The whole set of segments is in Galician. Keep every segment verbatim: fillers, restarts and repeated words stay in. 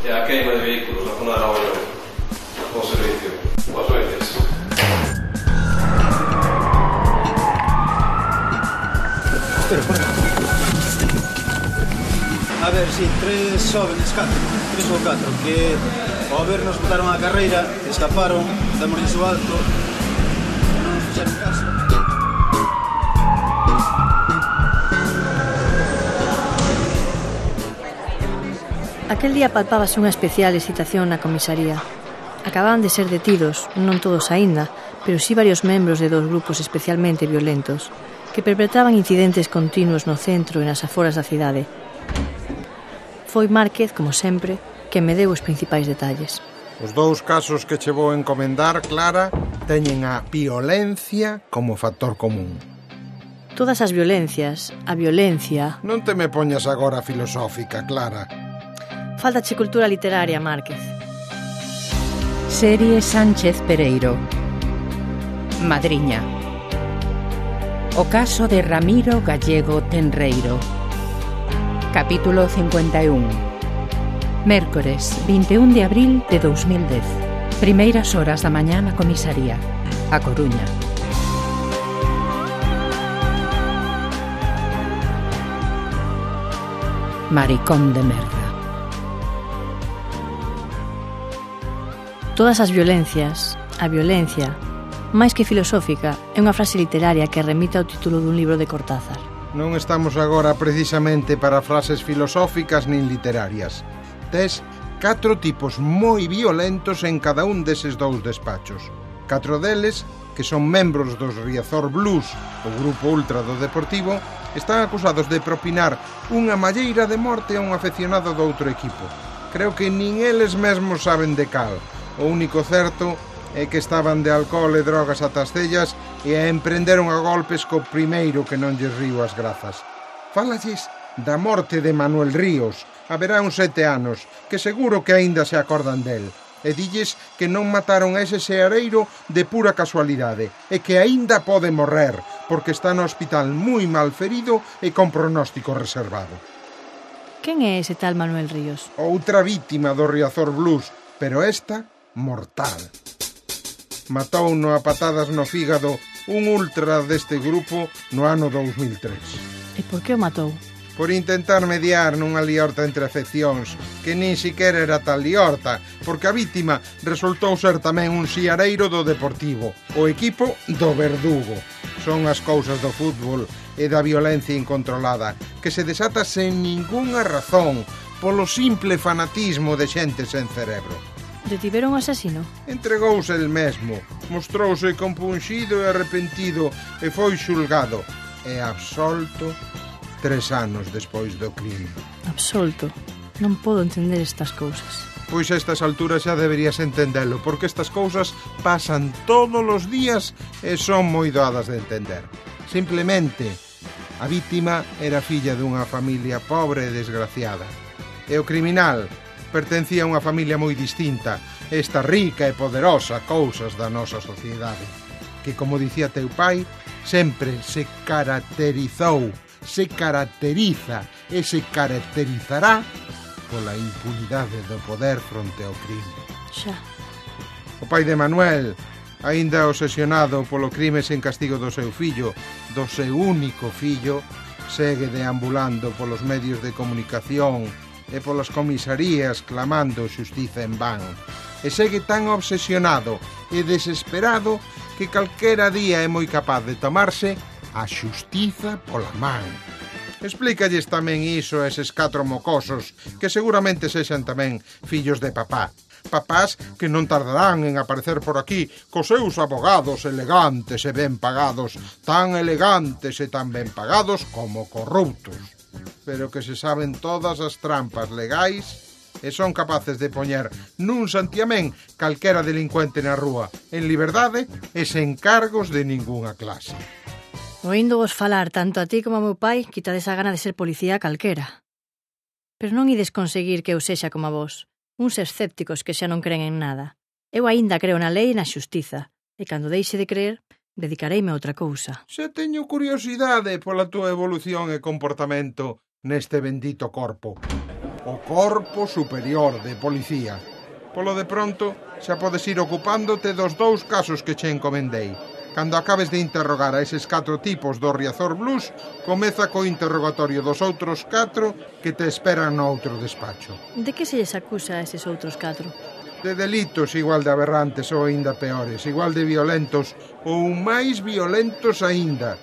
e a queima de vehículos na zona de Aragoñón. Bo servicio. Boas noites. Espera, por aquí. A ver, si, sí, tres jóvenes, catro, tres ou catro, que ao vernos botaron a carreira, escaparon, damosles o alto, non nos fixeron caso. Aquel día palpábase unha especial excitación na comisaría. Acababan de ser detidos, non todos aínda, pero sí varios membros de dos grupos especialmente violentos, que perpetraban incidentes continuos no centro e nas aforas da cidade. Foi Márquez, como sempre, que me deu os principais detalles. Os dous casos que che vou encomendar, Clara, teñen a violencia como factor común. Todas as violencias, a violencia... Non te me poñas agora filosófica, Clara. Faltache cultura literaria, Márquez. Serie Sánchez Pereiro. Madriña. O caso de Ramiro Gallego Tenreiro. Capítulo cincuenta e un. Mércores, vinte e un de abril de dous mil dez. Primeiras horas da mañá na comisaría. A Coruña. Maricón de merda. Todas as violencias, a violencia, máis que filosófica, é unha frase literaria que remite ao título dun libro de Cortázar. Non estamos agora precisamente para frases filosóficas nin literarias. Tes catro tipos moi violentos en cada un deses dous despachos. Catro deles, que son membros dos Riazor Blues, o grupo ultra do Deportivo, están acusados de propinar unha malleira de morte a un afeccionado do outro equipo. Creo que nin eles mesmos saben de cal. O único certo é que estaban de alcohol e drogas ata as cellas e a emprenderon a golpes co primeiro que non lles río as grazas. Fálalles da morte de Manuel Ríos, haberá uns sete anos, que seguro que aínda se acordan del. E dilles que non mataron a ese seareiro de pura casualidade e que aínda pode morrer, porque está no hospital moi mal ferido e con pronóstico reservado. Quen é ese tal Manuel Ríos? Outra vítima do Riazor Blues, pero esta mortal. Matouno a patadas no fígado un ultra deste grupo no ano dous mil tres. E por que o matou? Por intentar mediar nunha liorta entre afeccións, que nin siquera era tal liorta, porque a vítima resultou ser tamén un siareiro do Deportivo, o equipo do Verdugo. Son as cousas do fútbol e da violencia incontrolada, que se desata sen ningunha razón, polo simple fanatismo de xente sen cerebro. Detiveron o asasino? Entregouse el mesmo, mostrouse compunxido e arrepentido e foi xulgado e absolto tres anos despois do crime. Absolto? Non podo entender estas cousas. Pois a estas alturas xa deberías entendelo, porque estas cousas pasan todos os días e son moi doadas de entender. Simplemente, a vítima era filla dunha familia pobre e desgraciada. E o criminal pertencía a unha familia moi distinta, esta rica e poderosa cousas da nosa sociedade, que, como dicía teu pai, sempre se caracterizou, se caracteriza e se caracterizará pola impunidade do poder fronte ao crime. Xa. O pai de Manuel, aínda obsesionado polo crime sen castigo do seu fillo, do seu único fillo, segue deambulando polos medios de comunicación e polas comisarías clamando xustiza en van. E segue tan obsesionado e desesperado que calquera día é moi capaz de tomarse a xustiza pola man. Explícalles tamén iso a eses catro mocosos, que seguramente sexan tamén fillos de papá. Papás que non tardarán en aparecer por aquí cos seus abogados elegantes e ben pagados, tan elegantes e tan ben pagados como corruptos, pero que se saben todas as trampas legais e son capaces de poñer nun santiamén calquera delincuente na rúa, en liberdade e sen cargos de ningunha clase. Oíndovos falar tanto a ti como a meu pai, quitades a gana de ser policía calquera. Pero non ides conseguir que eu sexa como a vos, uns escépticos que xa non creen en nada. Eu aínda creo na lei e na xustiza, e cando deixe de creer, dedicareime a outra cousa. Se teño curiosidade pola túa evolución e comportamento neste bendito corpo. o Corpo Superior de Policía. Polo de pronto, xa podes ir ocupándote dos dous casos que che encomendei. Cando acabes de interrogar a eses catro tipos do Riazor Blues, comeza co interrogatorio dos outros catro que te esperan no outro despacho. De que se lles acusa a eses outros catro? De delitos igual de aberrantes ou aínda peores, igual de violentos ou máis violentos aínda.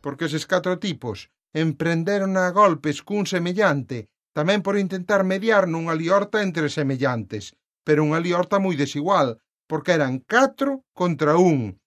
Porque eses catro tipos emprenderon a golpes cun semellante, tamén por intentar mediar nunha liorta entre semellantes, pero unha liorta moi desigual, porque eran catro contra un,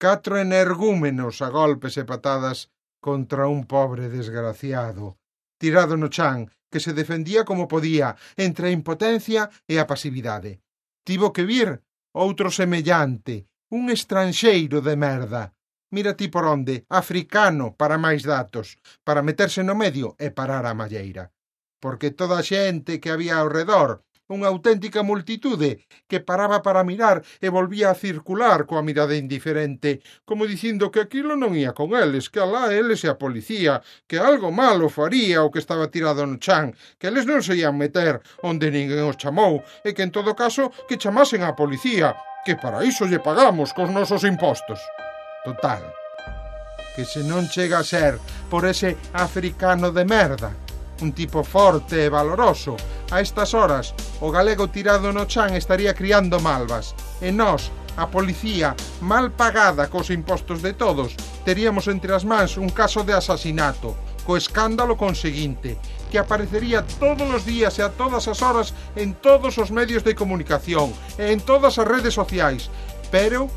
catro energúmenos a golpes e patadas contra un pobre desgraciado, tirado no chan, que se defendía como podía, entre a impotencia e a pasividade. Tivo que vir outro semellante, un estranxeiro de merda. Mira ti por onde, africano, para máis datos, para meterse no medio e parar a malleira. Porque toda a xente que había ao redor, unha auténtica multitude que paraba para mirar e volvía a circular coa mirada indiferente, como dicindo que aquilo non ia con eles, que alá eles e a policía, que algo malo faría o que estaba tirado no chan, que eles non se ian meter onde ninguén os chamou e que en todo caso que chamasen a policía, que para iso lle pagamos cos nosos impostos. Total, que se non chega a ser por ese africano de merda, un tipo forte e valoroso, a estas horas o galego tirado no chan estaría criando malvas e nós, a policía, mal pagada cos impostos de todos, teríamos entre as mans un caso de asasinato, co escándalo conseguinte, que aparecería todos os días e a todas as horas en todos os medios de comunicación e en todas as redes sociais, pero,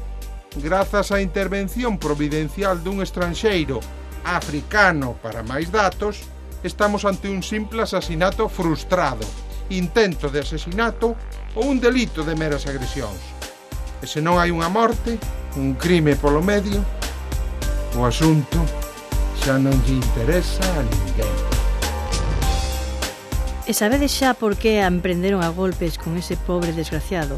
grazas á intervención providencial dun estranxeiro africano para máis datos, estamos ante un simple asasinato frustrado, intento de asesinato ou un delito de meras agresións. E se non hai unha morte, un crime polo medio, o asunto xa non lle interesa a ninguén. E sabedes xa por que a emprenderon a golpes con ese pobre desgraciado,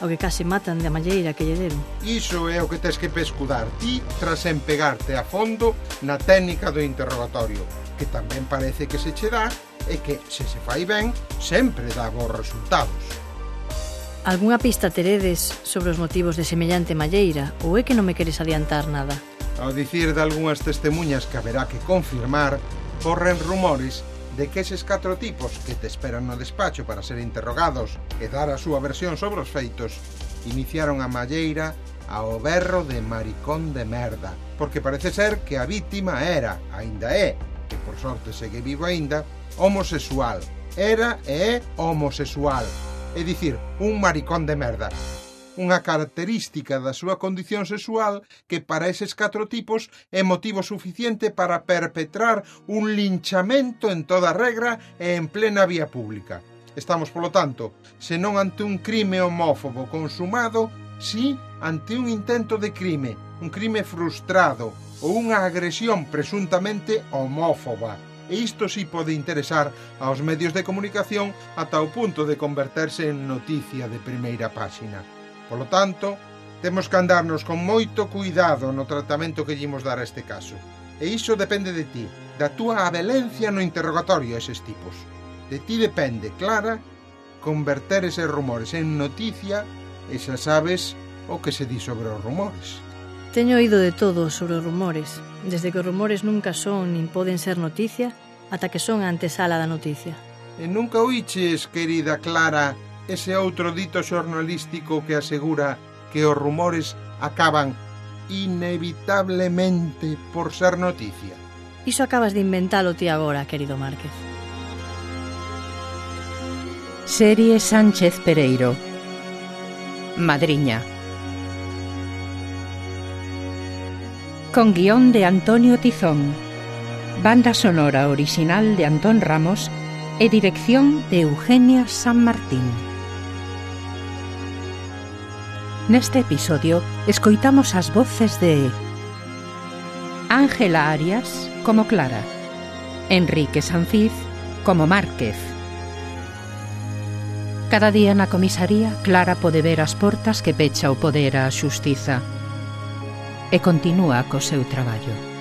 ao que case matan da malleira que lle deron? Iso é o que tes que pescudar ti tras empegarte a fondo na técnica do interrogatorio, que tamén parece que se che dá e que, se se fai ben, sempre dá bons resultados. Algúnha pista teredes sobre os motivos de semellante malleira ou é que non me queres adiantar nada? Ao dicir de algunhas testemunhas que haberá que confirmar, corren rumores de que eses catro tipos que te esperan no despacho para ser interrogados e dar a súa versión sobre os feitos iniciaron a malleira ao berro de maricón de merda, porque parece ser que a vítima era, aínda é, que por sorte segue vivo aínda, homosexual. Era e é homosexual, é dicir, un maricón de merda. Unha característica da súa condición sexual que para eses catro tipos é motivo suficiente para perpetrar un linchamento en toda regra e en plena vía pública. Estamos, polo tanto, senón ante un crime homófobo consumado, si ante un intento de crime, un crime frustrado ou unha agresión presuntamente homófoba. E isto si pode interesar aos medios de comunicación ata o punto de converterse en noticia de primeira páxina. Polo tanto, temos que andarnos con moito cuidado no tratamento que lle imos dar a este caso. E iso depende de ti, da túa abelencia no interrogatorio a eses tipos. De ti depende, Clara, converter eses rumores en noticia e xa sabes o que se di sobre os rumores. Teño oído de todo sobre os rumores, desde que os rumores nunca son nin poden ser noticia ata que son a antesala da noticia. E nunca oiches, querida Clara, ese outro dito xornalístico que asegura que os rumores acaban inevitablemente por ser noticia? Iso acabas de inventalo ti agora, querido Márquez. Serie Sánchez Pereiro. Madriña. Con guión de Antonio Tizón, banda sonora orixinal de Antón Ramos e dirección de Eugenia San Martín. Neste episodio escoitamos as voces de Ángela Arias como Clara, Enrique Sanfiz como Márquez. Cada día na comisaría Clara pode ver as portas que pecha o poder á xustiza e continúa co seu traballo.